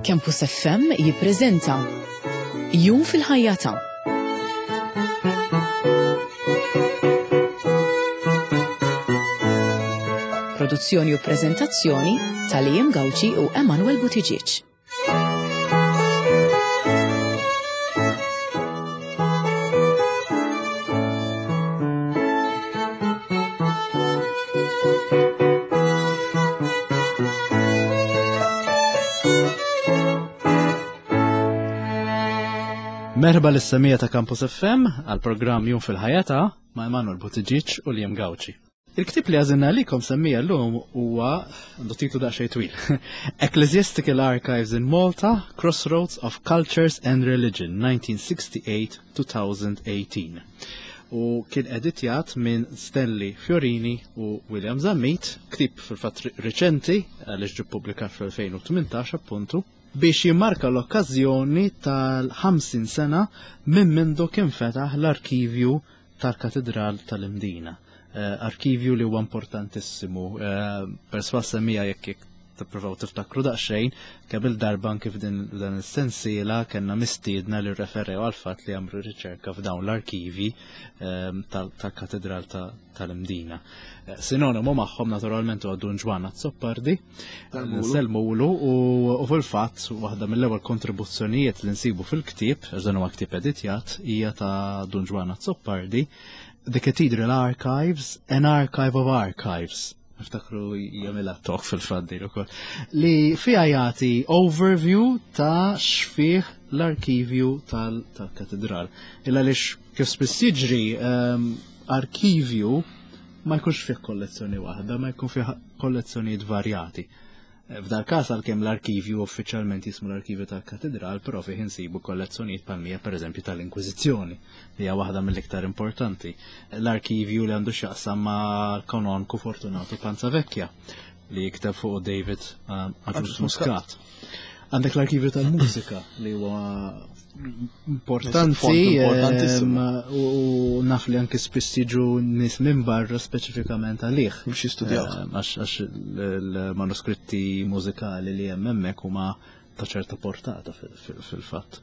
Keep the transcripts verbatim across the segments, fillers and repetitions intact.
Campus F M jippreżenta Jum fil-ħajja ta' Produzzjoni u preżentazzjoni ta' Liam Gauci u Emanuel Buttigieg. Merħba lis-semmiegħa ta' Campus F M għal programm Jum fil-ħajja ta' ma' Emanuel Buttigieg u Liam Gauci. Il-ktib li għażilna għalikom semmiegħa llum huwa għandu titlu daqsxejn twil. Ecclesiastical Archives in Malta, Crossroads of Cultures and Religion, nineteen sixty-eight to twenty eighteen. U kien editjat minn Stanley Fiorini u William Zammit, ktib fil-fatt riċenti, għaliex ġie ppubblikat fl-elfejn u tmintax appuntu, biex jimmarka l-okkażjoni tal-ħamsin sena minn mindu kien fetaħ l-arkivju tal-Katedral tal-Imdina. Eh, arkivju li huwa importantissimu. Eh, Perswas semmiegħa jekk jekk tippruvaw tiftakru daqsxejn, kemm il-darba kif din dan is-sensiela kellna mistiedna li referew għal fatt li għamlu riċerka f'dawn l-arkivi ehm, tal-Katedral tal-Imdina. Eh, Sinonimu magħhom naturalment huwa Dun Ġwann Azzopardi, nsellmulu, u fil-fatt waħda mill-ewwel kontribuzzjonijiet li nsibu fil-ktieb, għax dan huwa ktieb editjat, hija ta' Dun Ġwann Azzopardi, The Cathedral Archives, an Archive of Archives. Niftakru jagħmilha talk fil-fatt din ukoll. Li fiha jagħti overview ta' x'fih l-arkivju tal-katedral. Illa lix kif spiss jiġri, um, arkivju ma jkunx fih kollezzjoni waħda, ma jkun fih kollezzjonijiet varjati. F'dal każ, għalkemm l-arkivju uffiċjalment jismu l-arkivju tal-katedral, però fih insibu kollezzjonijiet palmija pereżempju tal-Inkwiżizzjoni, li hija waħda mill-iktar importanti. L-arkivju li għandu x'jaqsam ma' kanonku Fortunato Panzavecchia li jikteb fuq David um, Agius Muscat. Għandek l-arkivju tal-mużika li huwa importanti u naf li anki spiss jiġu nies minn barra speċifikament għalih. Biex jistudjaw. Għax il-manuskritti mużikali li hemm hemmhekk huma ta' ċerta portata fil-fatt.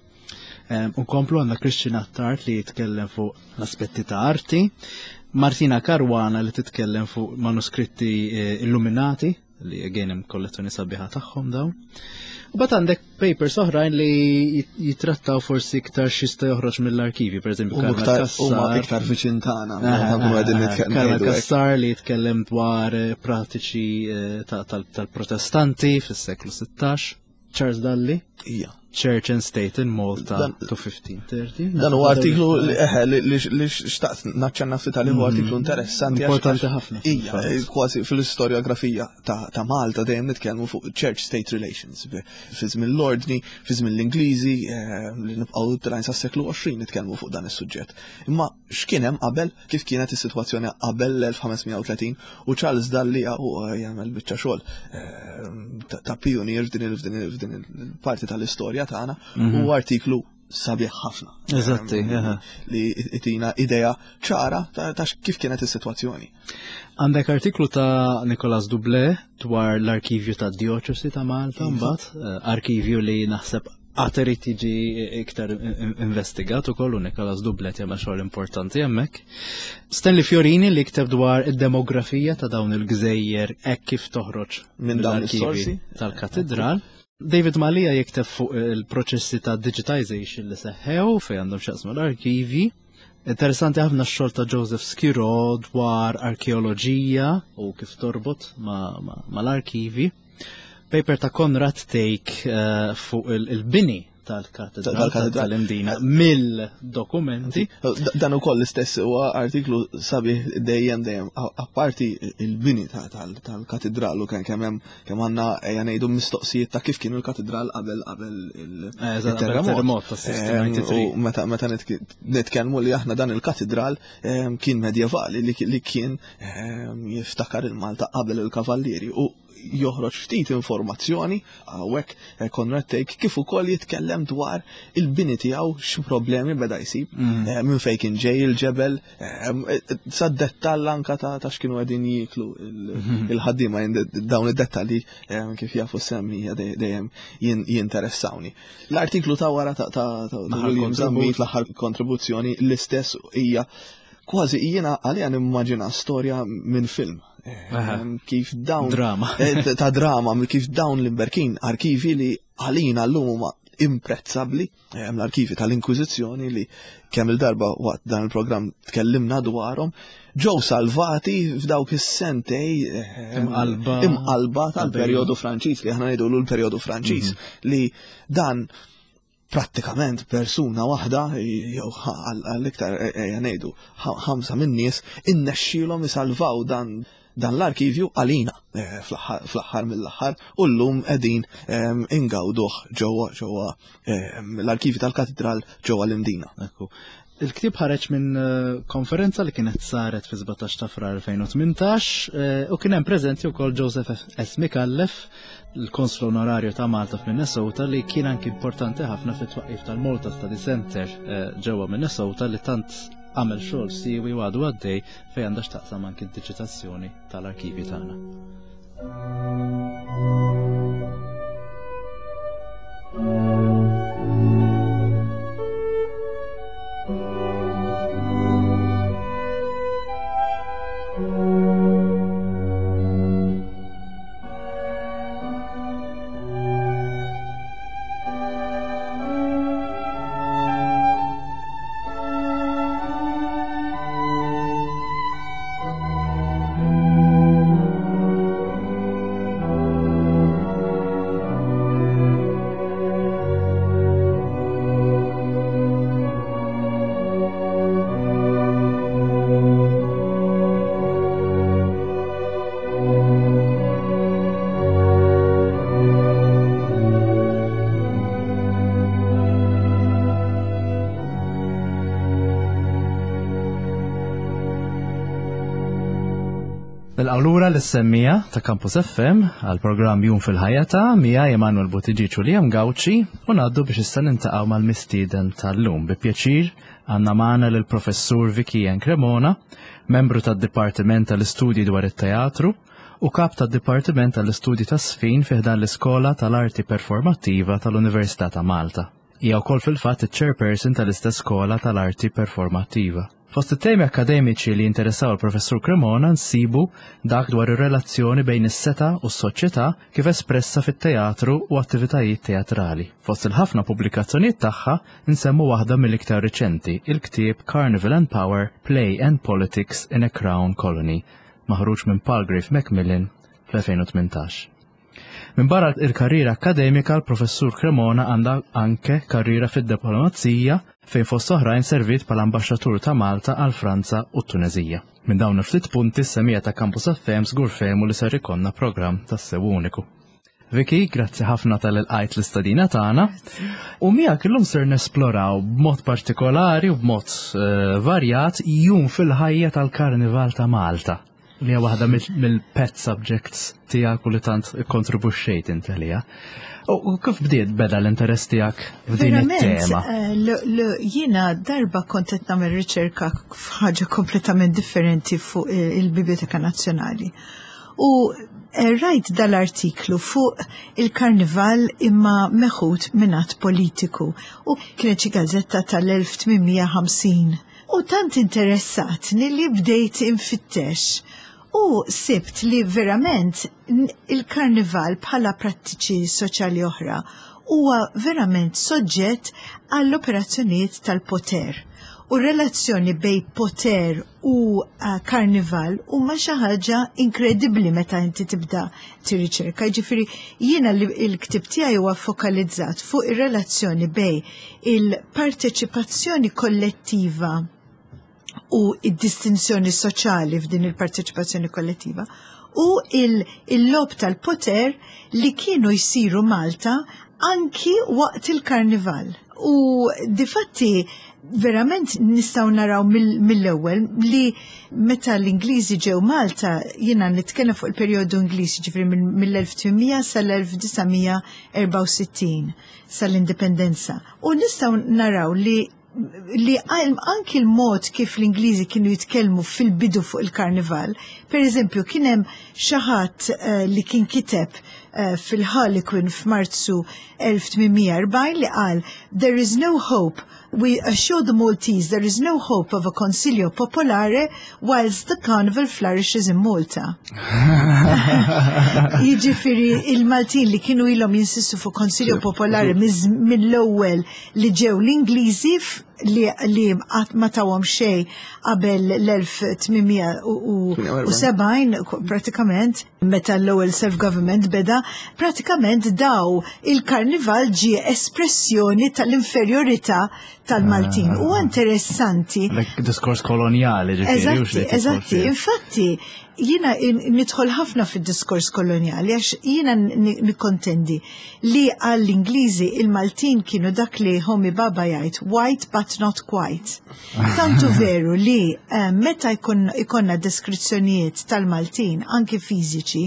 Unkomplu, għandna Christian Attard li jitkellem fuq l-aspetti ta' arti, Martina Caruana li titkellem fuq manuskritti eh, illuminati, li again hemm kollezzjoni sabiħa tagħhom dawn. U mbagħad għandek papers oħrajn li jitrattaw forsi iktar x'jista' joħroġ mill-arkivi, per eżempju. Huma iktar viċin tagħna. Carmel Cassar li jitkellem dwar eh, pratiċi eh, tal-Protestanti fis-seklu sittax. Charles Dalli. Ija. Church and State in Malta to fifteen thirty. Dan huwa artiklu li xtaqt naċċenna ftit għalih, huwa artiklu interessanti. Importanti ħafna. Ija, kważi fil-istorjografija ta' Malta dejjem nitkellmu fuq Church State Relations. Fi żmien l-Ordni, fi żmien l-Ingliżi, eh, li nibqgħu telgħin sas-seklu għoxrin nitkellmu fuq dan is-suġġett. Imma x'kien hemm qabel, kif kienet is-sitwazzjoni qabel l-elf ħames mija u tletin, u Charles Dalli u jagħmel biċċa xogħol eh, ta' pionier f'din il-parti tal-istorja tagħna, mhm. u artiklu sabiħ ħafna. Eżatti, Li jtina idea ċara ta' kif kienet is-sitwazzjoni. Għandek artiklu ta' Nicolas Duble dwar l-arkivju ta' dioċesi ta' Malta, mbagħad eh, arkivju li naħseb għad irid jiġi iktar investigat ukoll, u Nicolas Duble jagħmel xogħol importanti hemmhekk. Stanley Fiorini li kteb dwar id-demografija ta' dawn il-gżejjer hekk kif toħroġ minn dawn is-sorsi tal-katedral. David Malia jikteb fuq il-proċessi ta' digitization li seħħew fej għandhom x'jaqsmu l-arkivi. Interessanti ħafna x-xogħol ta' Joseph Schirò dwar arkeoloġija u kif torbot mal-arkivi. Paper ta' Konrad Thake uh, fuq il-bini tal-katedral tal-Imdina mill-dokumenti. Dan ukoll l-istess huwa artiklu sabiħ dejjem dejjem apparti il-bini tal-katedral u kemm hemm kemm għandna, ejja ngħidu, mistoqsijiet ta' kif kien il-katedral qabel qabel il-terremot. U meta meta nitkellmu li aħna dan il-katedral kien medjevali li kien jiftakar il-Malta qabel il-Kavallieri u Joħroġ ftit informazzjoni hawnhekk eh, Conrad Thake kif ukoll jitkellem dwar il-bini tiegħu, x'problemi beda jsib, mm. eh, minn fejn kien ġej il-ġebel, eh, sa dettall anka ta' x'kienu qegħdin jieklu mhm. il-ħaddiema. Dawn id-dettalji, kif jafu semmija, dejjem jinteressawni. L-artiklu ta' wara ta' William Zammit, l-aħħar kontribuzzjoni, l-istess, hija kważi, jiena għalija nimmaġina storja minn film. Kif dawn. Drama. Eh, ta' drama, kif dawn l-imberkin arkivi li għalina l-lum huma imprezzabbli, l-arkivi tal-Inkwiżizzjoni li kemm il-darba waqt dan il-programm tkellimna dwarhom, ġew salvati f'dawk is-sentej imqalba imqalba tal-perjodu Franċiż, li aħna ngħidu l-perjodu Franċiż, mhm. li dan prattikament persuna waħda jew għall-iktar ejja ngħidu ħamsa minn nies innexxielhom isalvaw dan dan l-arkivju għalina eh, fl-aħħar mill-aħħar u llum qegħdin ehm, ingawduh ġewwa ġewwa ehm, l-arkivi tal-katedral ġewwa l-Imdina. Il-ktieb ħareġ minn eh, konferenza li kienet saret fi sbatax ta' Frar elfejn u tmintax eh, u kien hemm preżenti wkoll Joseph S. Micallef, il-Konslu Onorarju ta' Malta f'Minnesota, li kien anki importanti ħafna fit-twaqqif tal-Malta Study Center eh, ġewwa Minnesota, li tant għamel xogħol siwi u għadu għaddej fejn għandha x'taqsam anki d-diġitazzjoni tal-arkivi tagħna. Nilqgħu lura lis-semmiegħa ta' Campus F M għal programm Jum fil-Ħajja ta' miegħi Emanuel Buttigieg u Liam Gauci u ngħaddu biex issa niltaqgħu mal-mistieden tal-lum. Bi pjaċir għandna magħna lill-Professur Vicky Ann Cremona, membru tad-Dipartiment tal-Istudji dwar it-Teatru u kap tad-Dipartiment tal-Istudji tas-Sfin fi ħdan l-Iskola tal-Arti Performattiva tal-Università ta' Malta. Hija wkoll fil-fatt iċ-chairperson tal-istess Skola tal-Arti Performattiva. Fost it-temi akademiċi li jinteressaw il-Professur Cremona nsibu dak dwar ir-relazzjoni bejn is-setgħa u s-soċjetà kif espressa fit-teatru u attivitajiet teatrali. Fost il-ħafna pubblikazzjonijiet tagħha nsemmu waħda mill-iktar riċenti, il-ktieb Carnival and Power, Play and Politics in a Crown Colony, maħruġ minn Palgrave Macmillan fl-elfejn u tmintax. Min barra il-karriera akademika, l-Professur Cremona għandha anke karriera fid-diplomazija fejn fost oħrajn servit bħala ambaxxatur ta' Malta għal Franza u Tunezija. Minn dawn il-ftit punti s-semmiegħa ta' Campus F M żgur fehmu li ser ikollna programm tassew uniku. Vicky, grazzi ħafna talli lqajt l-istedina tagħna. U miegħek illum ser nesploraw b'mod partikolari u b'mod uh, varjat jum fil-ħajja tal-Karnival ta' Malta, li hija waħda mill-pet subjects tiegħek u li tant ikkontribwixxejt inti għaliha. U kif bdiet beda l-interess tiegħek f'din it-tema? Eh, jiena darba kont qed nagħmel riċerka f'ħaġa kompletament differenti fuq il-Biblioteka Nazzjonali. U eh, rajt dal-artiklu fuq il-karnival imma meħud minn politiku u kienet xi gazzetta tal-elf tmien mija u ħamsin. U tant interessatni li bdejt infittex. U sibt li verament il-karnival bħala prattiċi soċjali oħra huwa verament soġġett għall-operazzjonijiet tal-poter. U relazzjoni bejn poter u uh, karnival huma xi ħaġa inkredibbli meta inti tibda tirriċerka. Jiġifieri jiena li l-ktieb tiegħi huwa fokalizzat fuq ir-relazzjoni bejn il-parteċipazzjoni kollettiva u id-distinzjoni soċjali f'din il-parteċipazzjoni kollettiva u il-logħob tal-poter li kienu jsiru Malta anki waqt il-karnival. U difatti verament nistgħu naraw mill-ewwel li meta l-Ingliżi ġew Malta, jiena nitkellem fuq il-perjodu Ingliż, ġifieri mill-elf tmien mija sal-elf disa' mija erbgħa u sittin, sal-indipendenza. U nistgħu naraw li li anki l-mod kif l-Ingliżi kienu jitkellmu fil-bidu fuq il-karnival, per eżempju, kien hemm xi ħadd uh, li kien kiteb uh, fil-Harlequin f'Marzu elf tmien mija erbgħin li qal, "There is no hope, we assure the Maltese there is no hope of a Consiglio Popolare whilst the carnival flourishes in Malta." Jiġifieri il-Maltin li kienu ilhom jinsistu fuq Consiglio Popolare mill-ewwel li ġew l-Ingliżi, li, li ma tawhom xejn qabel l-elf tmien mija u sebgħin pratikament, meta l-ewwel self-government beda, pratikament daw il-karnival ġie espressjoni tal-inferjorità tal-Maltin. U interessanti. Diskors koloniali. Eżatti, eżatti. Infatti, jiena nidħol ħafna fid-diskors koloniali għax jiena nikkontendi li għall-Ingliżi il-Maltin kienu dak li Homi Bhabha jgħid "white but not quite". Tantu veru li eh, meta jkollna deskrizzjonijiet tal-Maltin anki fiżiċi,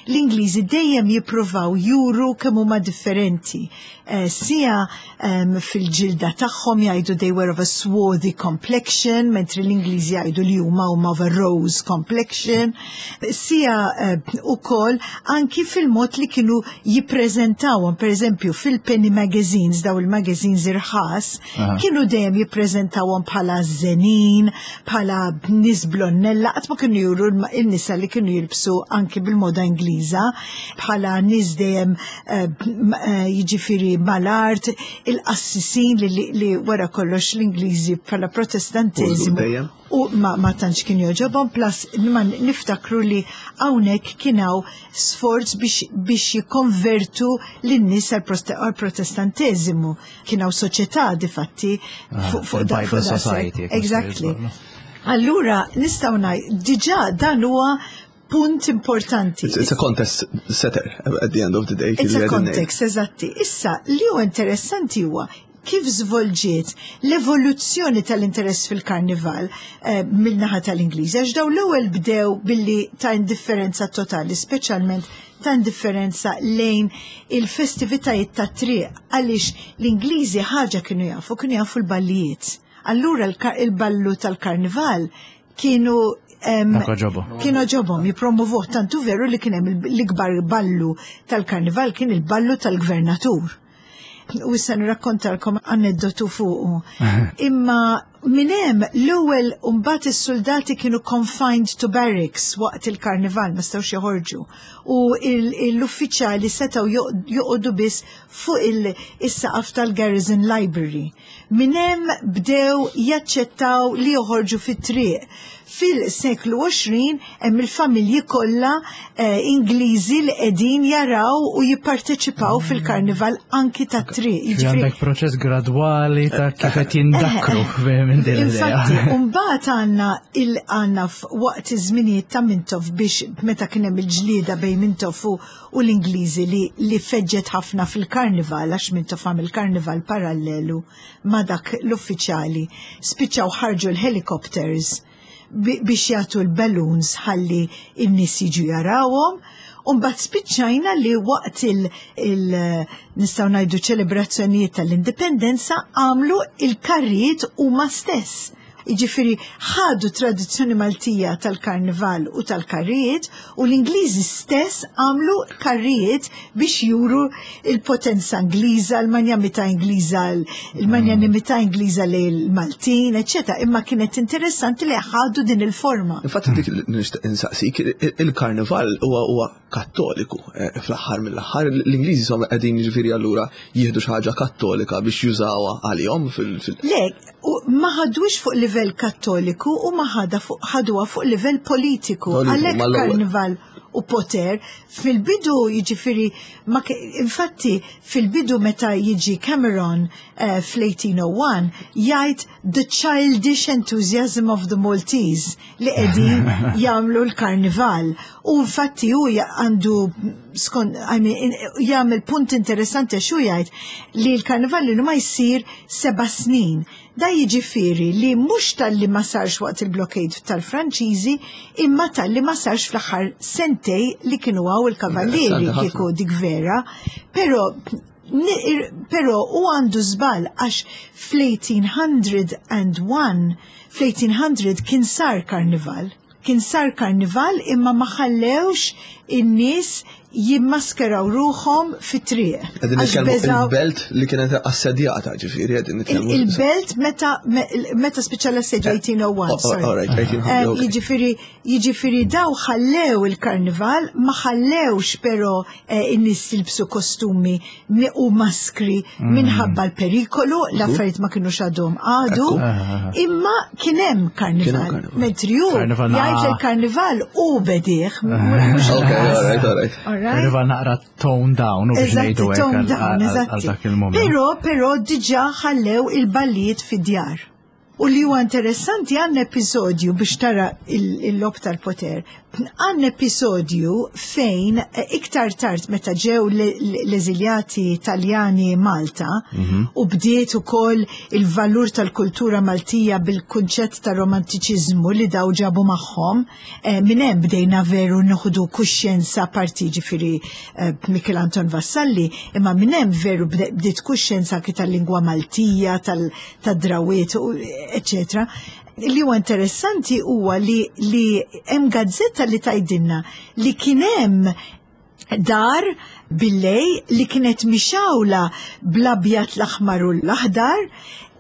l-Ingliżi dejjem jippruvaw juru kemm huma differenti. Eh, sija um, fil-ġilda tagħhom jgħidu they were of a swarthy complexion, mentri l-Ingliżi jgħidu li huma huma of a rose complexion. Sija uh, ukoll anki fil-mod li kienu jippreżentawhom, per eżempju fil-penny magazines, daw il-magazines irħas, kienu dejjem jippreżentawhom bħala żenin, bħala nies blonnella, qatt ma kienu juru il-nisa li kienu jilbsu anki bil-moda Ingliża, bħala nies dejjem uh, jiġifieri mal-art, il-qassisin li, li wara kollox l-Ingliżi bħala protestanteżimu u ma, ma tantx kien jogħġobhom, plus ma niftakru li hawnhekk kien hawn sforz biex, biex jikkonvertu lin-nies għal protestanteżimu. Kien hawn soċjetà difatti ah, fuq Bible Society. Exactly. Allura nistgħu ngħid diġà dan huwa punt importanti. It's, it's a context setter at the end of the day. It's a context, eżatti. Issa, li huwa interessanti huwa kif żvolġiet l-evoluzzjoni tal-interess fil-karnival eh, mill-naħa tal-Ingliż. Għax daw l-ewwel bdew billi ta' indifferenza totali, speċjalment ta' indifferenza lejn il-festivitajiet ta' triq, għaliex l-Ingliżi ħaġa kienu jafu, kienu jafu l-ballijiet. Allura il-ballu tal-karnival kienu kienu għoġobhom jipromovuh, tantu veru li kien hemm l-ikbar ballu tal-karnival kien il-ballu tal-gvernatur. U issa nirrakkontalkom aneddotu fuqu. Imma minn hemm l-ewwel mbagħad is-soldati kienu confined to barracks waqt il-karnival, ma setgħux joħorġu. U l-uffiċjali setgħu joqogħdu biss fuq il-saqaf tal-Garrison Library. Minn hemm bdew jaċċettaw li joħorġu fit-triq. Fil-seklu għoxrin hemm il-familji kollha eh, Ingliżi li qegħdin jaraw u jipparteċipaw fil-karnival anki tat-triq. Jiġifieri għandek proċess gradwali ta' kif qed jindakru minn din l-idea. Infatti, mbagħad għandna il għandna waqt iż-żminijiet ta' Mintoff, biex meta kien hemm il-ġlieda bejn Mintoff u l-Ingliżi li, li feġġet ħafna fil-karnival, għax Mintoff għamel karnival parallelu ma' dak l-uffiċjali. Spiċċaw ħarġu l-helicopters biex jagħtu l-balloons ħalli n-nies jiġu jarawhom. Umbagħad spiċċajna li waqt il, il nistgħu ngħidu ċelebrazzjonijiet tal-indipendenza għamlu il-karrijiet huma stess. Jiġifieri ħadu tradizzjoni Maltija tal-karnival u tal-karrijiet u l-Ingliżi stess għamlu karrijiet biex juru il-potenza Ingliża, l-manjamità Ingliża, il-manjanimità Ingliża lejn il-Maltin, eċċetera. Imma kienet interessanti li ħadu din il-forma. Infatti dik nixtieq insaqsik, il-karnival huwa huwa kattoliku eh, fl-aħħar mill-aħħar, l-Ingliżi insomma qegħdin, jiġifieri allura jieħdu xi ħaġa kattolika biex jużawha għalihom fil- Le, ma ħadux fuq livell kattoliku u ma ħada fuq ħaduha fuq livell politiku. Għalhekk karnival u poter. Fil-bidu jiġifieri, ma infatti fil-bidu meta jiġi Cameron uh, fl-eighteen oh one jgħid "the childish enthusiasm of the Maltese" li qegħdin jagħmlu l-karnival. U infatti hu għandu skont, I mean, jagħmel punt interessanti xu jgħid li l-karnival li ma jsir seba' snin. Da jiġifieri li mhux tal-li ma sarx waqt il-blockade tal-Franċiżi, imma tal-li ma sarx fl-aħħar sentej li kienu hawn il-kavallieri, kieku dik vera. Però Pero u għandu żball għax fl-eighteen oh one, fl-eighteen hundred kien sar karnival. Kien sar karnival imma ma ħallewx in-nies jimmaskeraw ruħhom fit-triq. Qegħdin nitkellmu il-belt li kienet assedjata, ġifieri qegħdin nitkellmu. Il-belt meta meta spiċċa l-assedju eighteen oh one. Jiġifieri jiġifieri daw ħallew il-karnival, ma ħallewx però eh, in-nies jilbsu kostumi u maskri mm. minħabba l-perikolu, l-affarijiet ma kienu għadhom għadu, imma kien hemm karnival. Mentri hu jgħid il-karnival u bedih. Okay, all right, all right. Karnival naqra tone down u biex ngħidu għal dak il-moment. Però, però diġà ħallew il-ballijiet fid-djar. U li huwa interessanti, għandna episodju biex tara il-logħob tal-poter. Għandna episodju fejn eh, iktar tard meta ġew l-eżiljati Taljani Malta mhm. u bdiet ukoll il-valur tal-kultura Maltija bil-kunċett ta' romantiċiżmu li daw ġabu magħhom, eh, minn hemm bdejna veru nieħdu kuxjenza parti, ġifieri eh, Michel Anton Vassalli, imma minn hemm veru bdiet kuxjenza tal-lingwa Maltija, tal-drawiet, eccetera. Li huwa interessanti huwa li li hemm gazzetta li tgħidilna li kien hemm dar billejl li kienet mixgħula bl-abjad, l-aħmar u l-aħdar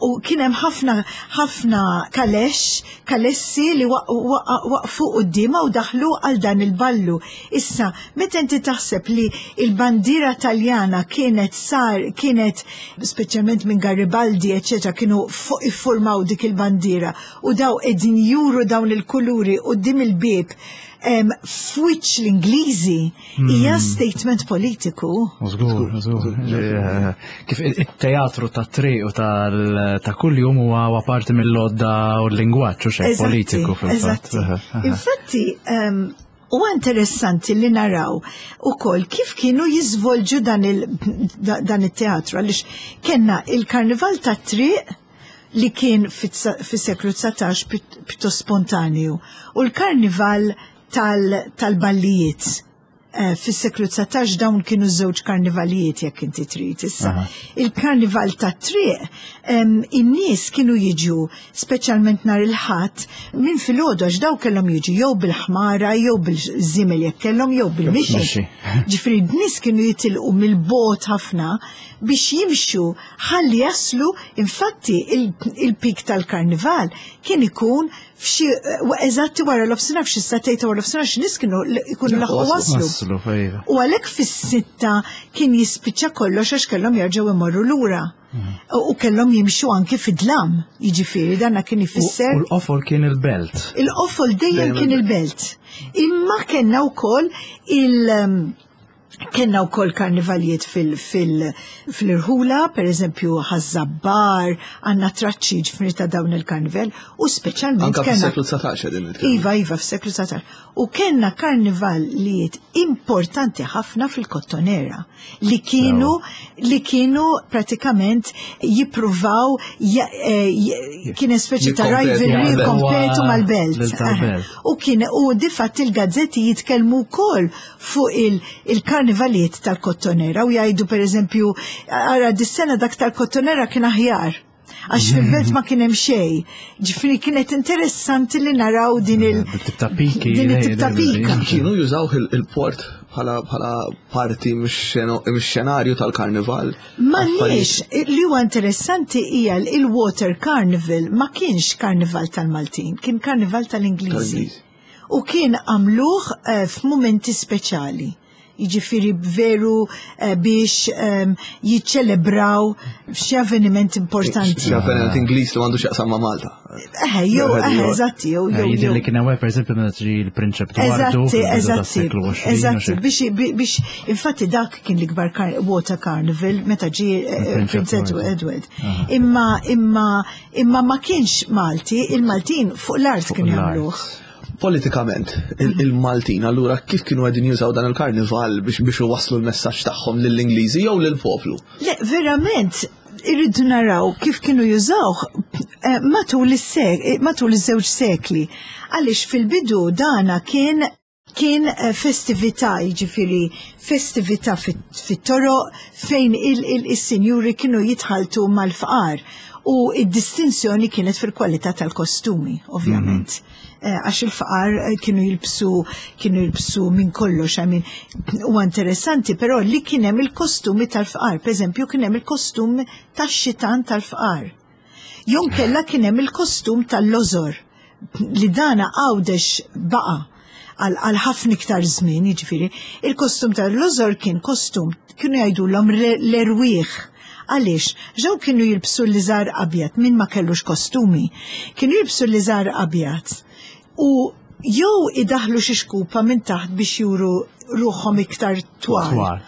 u kien hemm ħafna ħafna kalex, kalessi li waqfu quddiemha u daħlu għal dan il-ballu. Issa, meta inti taħseb li il-bandiera Taljana kienet sar kienet speċjalment minn Garibaldi, eċetera, kienu iffurmaw dik il-bandiera u daw qegħdin juru dawn il-kuluri quddiem il-bieb f'wiċċ l-Ingliżi, hija statement politiku. Żgur, żgur. Kif it-teatru ta' triq u ta' kuljum huwa parti mill-lodda u l-lingwaġġ u xejn politiku fil-fatt. Infatti, huwa interessanti li naraw ukoll kif kienu jiżvolġu dan il-teatru, għaliex kellna il-karnival ta' triq li kien fis-seklu dsatax pjuttost spontanju u l-karnival tal-ballijiet. Eh, fis-seklu dsatax dawn kienu żewġ karnivalijiet jekk inti trid. Issa, il-karnival ta' triq, in-nies kienu jiġu speċjalment nhar il-Ħadd minn filgħodu għax daw kellhom jiġu jew bil-ħmara jew bil-żimel jekk kellhom jew bil-mixi. Ġifieri n-nies kienu jitilqu mill-bogħod ħafna biex jimxu ħalli jaslu. Infatti il-pik tal-karnival kien ikun f'xi eżatti wara l-nofsinhar, f'xi sagħtejn wara l-nofsinhar, xi nies kienu ikunu laħqu waslu. U għalhekk fis-sitta kien jispiċċa kollox għax kellhom jerġgħu imorru lura. U kellhom jimxu anki fid-dlam, jiġifieri danna kien ifisser. U l-qofol kien il-belt. Il-qofol dejjem kien il-belt. Imma kellna wkoll il- Kenna u koll karnivalijiet fil-irħula, per eżempju Ħaż-Żabbar, għandna traċċi ġifieri ta' dawn il-karnival, u speċjalment. Anka fis-seklu dsatax din. Iva, iva, fis-seklu dsatax. U kellna karnivalijiet importanti ħafna fil-Kottonera li kienu li kienu pratikament jippruvaw, eh, kien speċi ta' rivalry, kompetu mal-belt. U kien u difatti il-gazzetti jitkellmu wkoll fuq il-karnivalijiet tal-Kottonera u jgħidu, per eżempju, ara dis-sena dak tal-Kottonera kien aħjar għax fil-belt ma kien hemm xejn. Ġifieri kienet interessanti li naraw din il- Din it-tip ta' pika. Kienu jużaw il-port bħala parti mix-xenarju tal-karnival. M'għandniex, li huwa interessanti hija il-Water Carnival ma kienx karnival tal-Maltin, kien karnival tal-Ingliżi. U kien għamluh eh, f'mumenti speċjali. Jiġifieri veru eh, biex ehm, jiċċelebraw xi avveniment importanti. Xi avveniment Ingliż li m'għandu x'jaqsam ma' Malta. Eh, jew, eh, eżatti, jew, jew. Jidher li kien hawn, pereżempju, meta ġie l-Prinċep Edoardo. Eżatti, eżatti, eżatti, biex, biex, infatti dak kien l-ikbar water carnival meta ġie eh, Prince Edward. Imma, imma, imma ma kienx Malti, il-Maltin fuq l-art kienu jagħmluh. Politikament, il-Maltin, allura kif kienu qegħdin jużaw dan il-karnival biex biex waslu l-messaġġ tagħhom lill-Ingliżi jew lill-poplu? Le, verament, irridu naraw kif kienu jużawh eh, matul is-sek, matul iż-żewġ sekli. Għaliex fil-bidu dana kien kien eh, festività, jiġifieri festività fit-toroq fejn il-sinjuri kienu jitħaltu mal-fqar u id-distinzjoni kienet fil-kwalità tal-kostumi, ovvjament. Mm -hmm. Għax il-faqar eh, kienu jilbsu kienu jilbsu minn kollox, I mean, huwa interessanti, però li kien hemm il-kostumi tal-fqar, per eżempju kien hemm il-kostum tax-xitan tal-fqar. Jew inkella kien hemm il-kostum tal-lożor li dana Għawdex baqa' għal ħafna iktar żmien, jiġifieri, il-kostum tal-lożor kien kostum kienu jgħidulhom l-erwieħ. Għaliex, ġew kienu jilbsu l-liżar abjad, min ma kellux kostumi, kienu jilbsu l-liżar abjad u jew idaħlu xi xkupa minn taħt biex juru ruħhom iktar twal.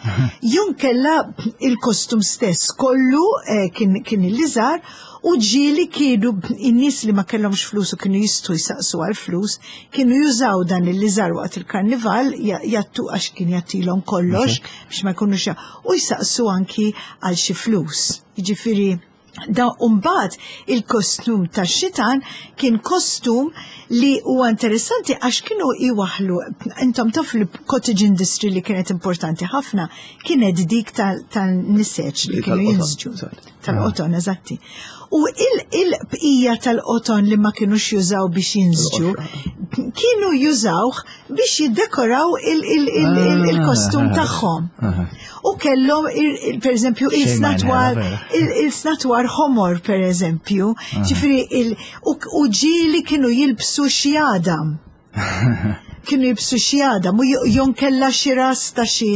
Jew inkella il-kostum stess kollu eh, kien, kien il-liżar u ġieli kienu in-nies li ma kellhomx flus u kienu jistgħu jsaqsu għal flus, kienu jużaw dan il-liżar waqt il-karnival jattu għax kien jattilhom kollox biex ma jkunux u jsaqsu anki għal xi flus. Jiġifieri da mbagħad il-kostum tax-xitan kien kostum li huwa interessanti għax kienu iwaħlu, intom taf li cottage industry li kienet importanti ħafna kienet dik tal-niseċ li kienu jinsġu. Tal-qoton, eżatti. U il-bqija tal-qoton li ma kienux jużaw biex jinsġu, kienu jużawh biex jiddekoraw il-kostum tagħhom. U kellhom, per eżempju, il-snatwar ħomor, per eżempju, ġifieri, u ġieli kienu jilbsu xi għadam. Kienu jilbsu xi għadam u jew inkella xi ras ta' xi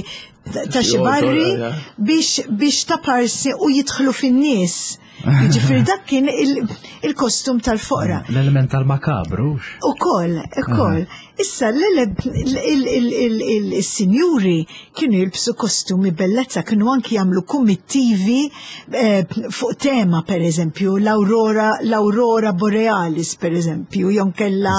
ta' xi barri biex biex ta' parsi u jidħlu fin-nies. Jiġifieri dak kien il-kostum tal-foqra. L-element tal-makabru. Ukoll, ukoll. Issa il-sinjuri kienu jilbsu kostumi bellezza, kienu anki jagħmlu kummittivi eh, fuq tema, per eżempju, l-aurora, l-aurora borealis, per eżempju, jew inkella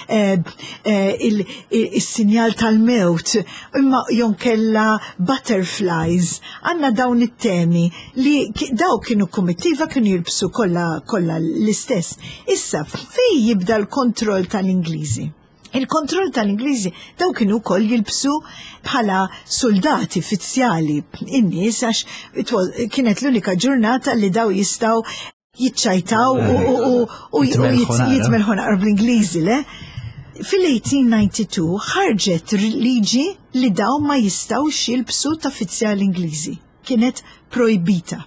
eh, eh, il-sinjal tal-mewt, imma jew inkella butterflies. Għandna dawn it-temi li daw kienu kummittiva, kienu jilbsu kollha kollha l-istess. Issa, fej jibda l-kontroll tal-Ingliżi? Il-kontroll tal-Ingliżi, daw kienu wkoll jilbsu bħala soldati fizzjali in-nies għax kienet l-unika ġurnata li daw jistgħu jitċajtaw u jitmelħu naqra bl-Ingliżi, le? Fil-elf disa' mija u tnejn u disgħin ħarġet liġi li daw ma jistgħux jilbsu ta' fizzjali Ingliżi. Kienet projbita.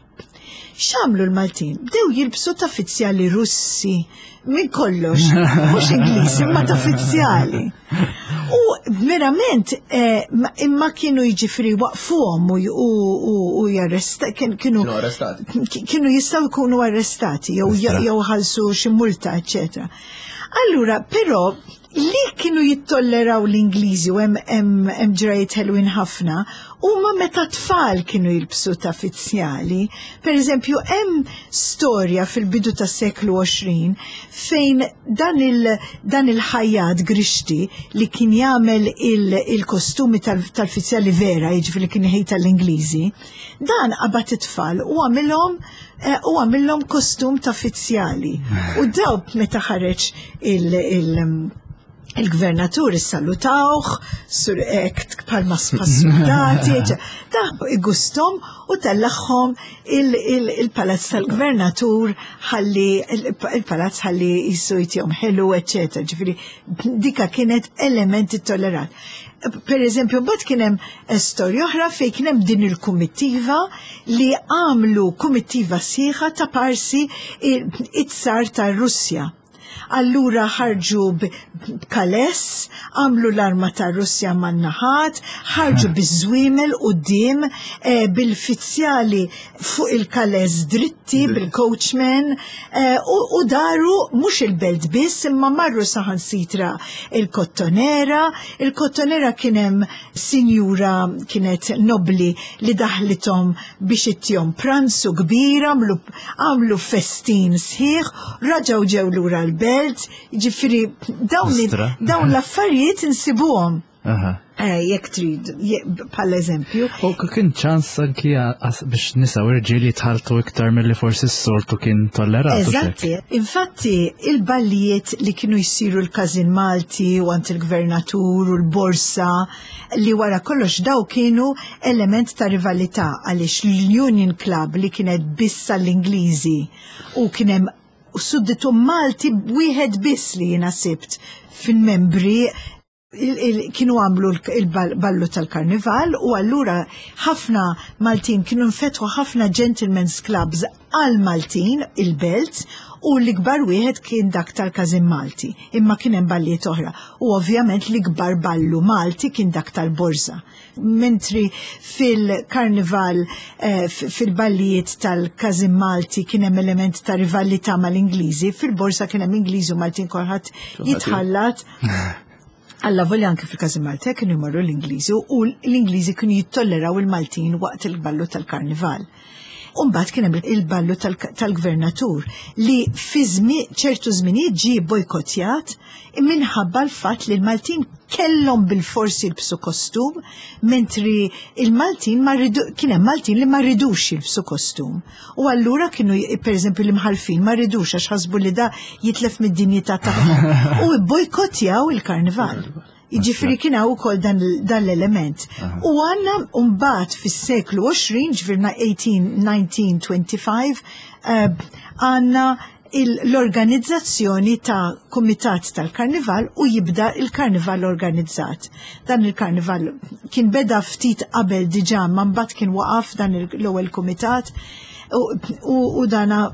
X'għamlu l-Maltin? Bdew jilbsu ta' fizzjali Russi, minn kollox, mhux Ingliżi, imma ta' fizzjali. U verament, eh, imma kienu jiġifieri waqfuhom u jarresta, kienu kienu jistgħu jkunu arrestati jew jew ħalsu xi multa, eċetera. Allura, però, li kienu jittolleraw l-Ingliżi u hemm ġrajiet ħelwin ħafna huma meta tfal kienu jilbsu ta' fizzjali. Per eżempju, hemm storja fil-bidu tas seklu għoxrin fejn dan il dan il-ħajjat Grixti li kien jagħmel il-kostumi tal-fizzjali vera, jiġifieri kien iħejt tal-Ingliżi, dan qabad it-tfal u għamilhom eh, u għamilhom kostum ta' fizzjali. U dawk meta ħareġ il-, il il-gvernatur issalutawh, sur ekt bħalma soldati, da igustom u tellagħhom il-palazz tal-gvernatur ħalli il-palazz ħalli jisu jtihom ħelu, eccetera. Ġifieri, dika kienet elementi tollerat. Per eżempju, mbagħad kien hemm storja oħra fejn kien hemm din il-kumittiva li għamlu kumittiva sħiħa ta' parsi it-tsar tar-Russja. Allura ħarġu b'kales, għamlu l-arma ta' Russja man-naħat, ħarġu biż-żwiemel quddiem eh, bil-fizzjali fuq il-kales dritti, bil-coachman, eh, u, u daru mhux il-belt biss, imma marru saħansitra il-Kottonera. Il-Kottonera kien hemm sinjura kienet nobli li daħlithom biex ittihom pranzu kbir, għamlu, għamlu festin sħiħ, raġaw ġew lura l-belt, ġifieri dawn, Ostra. dawn l-affarijiet insibuhom. Aha. Eh, jekk trid, je- bħal eżempju. U k- kien ċans anki għas- biex nisa u rġiel jitħaltu iktar mill-li forsi s-soltu kien tollerat. u xek. Eżatti. Infatti, il-ballijiet li kienu jsiru l-Każin Malti u għand il-Gvernatur u l-Borsa li wara kollox daw kienu element ta' rivalità għaliex l-Union Club li kienet biss l-Ingliżi u kien hemm sudditu Malti wieħed biss li jiena sibt fil-membri il- il- kienu għamlu il-ballu tal-karnival u allura ħafna Maltin kienu nfetħu ħafna gentlemen's clubs għal Maltin il-belt u l-ikbar wieħed kien dak tal-Każin Malti, imma kien hemm ballijiet oħra. U ovvjament l-ikbar ballu Malti kien dak tal-Borża. Mentri fil-karnival, eh, f- fil-ballijiet tal-Każin Malti kien hemm element ta' rivalità mal-Ingliżi, fil-Borża kien hemm Ingliżi u Maltin kulħadd jitħallat. Alla volja anke fil-Każin Malti kienu jmorru l-Ingliżi u l-Ingliżi kienu jittolleraw il-Maltin waqt il-ballu tal-karnival. Umbagħad kien hemm il-ballu tal- tal-gvernatur li fi żmien ċertu żminijiet ġie bojkottjat minħabba l-fatt li l-Maltin kellhom bil-forsi jilbsu kostum, mentri il-Maltin ma ridu, kien hemm Maltin li ma ridux jilbsu kostum. U allura kienu, per eżempju, l-imħalfin ma ridux għax ħasbu li da jitlef mid-dinjità tagħhom. U bojkottjaw il-karnival. Jiġifieri kien hawn ukoll dan, dan l-element. U għandna mbagħad fis-seklu għoxrin, ġifieri eighteen, nineteen, twenty-five, eh, għandna il- l-organizzazzjoni ta' kumitat tal-karnival u jibda il-karnival organizzat. Dan il-karnival kien beda ftit qabel diġà, ma mbagħad kien waqaf dan il- l-ewwel kumitat u, u, u dana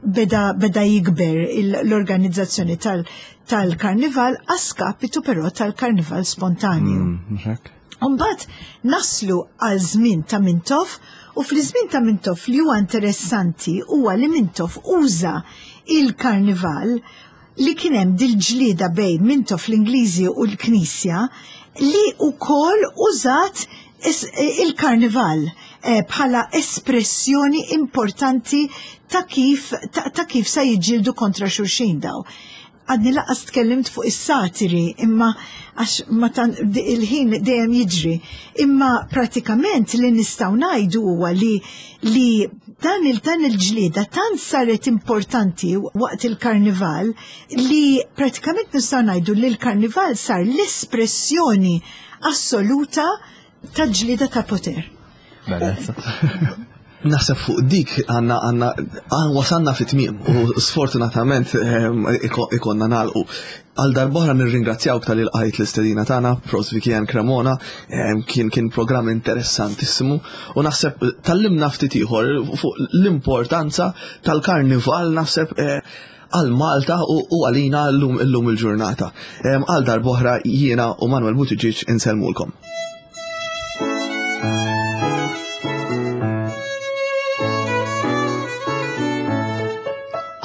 beda, beda jikber il- l-organizzazzjoni tal- tal-karnival a skapitu però tal-karnival spontanju. Mm, mhux hekk? Umbagħad naslu għal żmien ta' Mintoff u fl-żmien ta' Mintoff li huwa interessanti huwa li Mintoff uża il-karnival li kien hemm dil-ġlieda bejn Mintoff l-Ingliżi u l-Knisja li wkoll użat es- il-karnival eh, bħala espressjoni importanti ta' kif, ta, ta' kif sa jiġġieldu kontra xulxin daw. Għadni lanqas tkellimt fuq is-satiri, imma għax ma tan di- il-ħin dejjem jiġri. Imma pratikament li nistgħu ngħidu huwa li li dan il dan il-ġlieda tant saret importanti waqt il-karnival li pratikament nistgħu ngħidu li l-karnival sar l-espressjoni assoluta ta' ġlieda ta' poter. Bellezza. Naħseb fuq dik għandna għandna għan wasanna fit tmiem u sfortunatament ehm, iko- ikonna nagħlqu. Għal darb'oħra nirringrazzjawk talli lqajt l-istedina tagħna, Profs Vicky-Ann Cremona, ehm, kien kien programm interessantissimu u naħseb tgħallimna ftit ieħor fuq l-importanza tal-karnival naħseb eh, għal Malta u u għalina llum illum il-ġurnata. Ehm, Għal darb'oħra jiena u Manuel Buttigieg insellmulkom.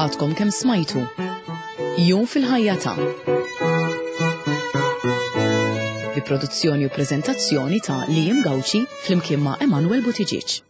Għadkom kemm smajtu. Jum fil-ħajja ta' bi produzzjoni u prezentazzjoni ta' Liam Gauci flimkien ma' Emanuel Buttigieg.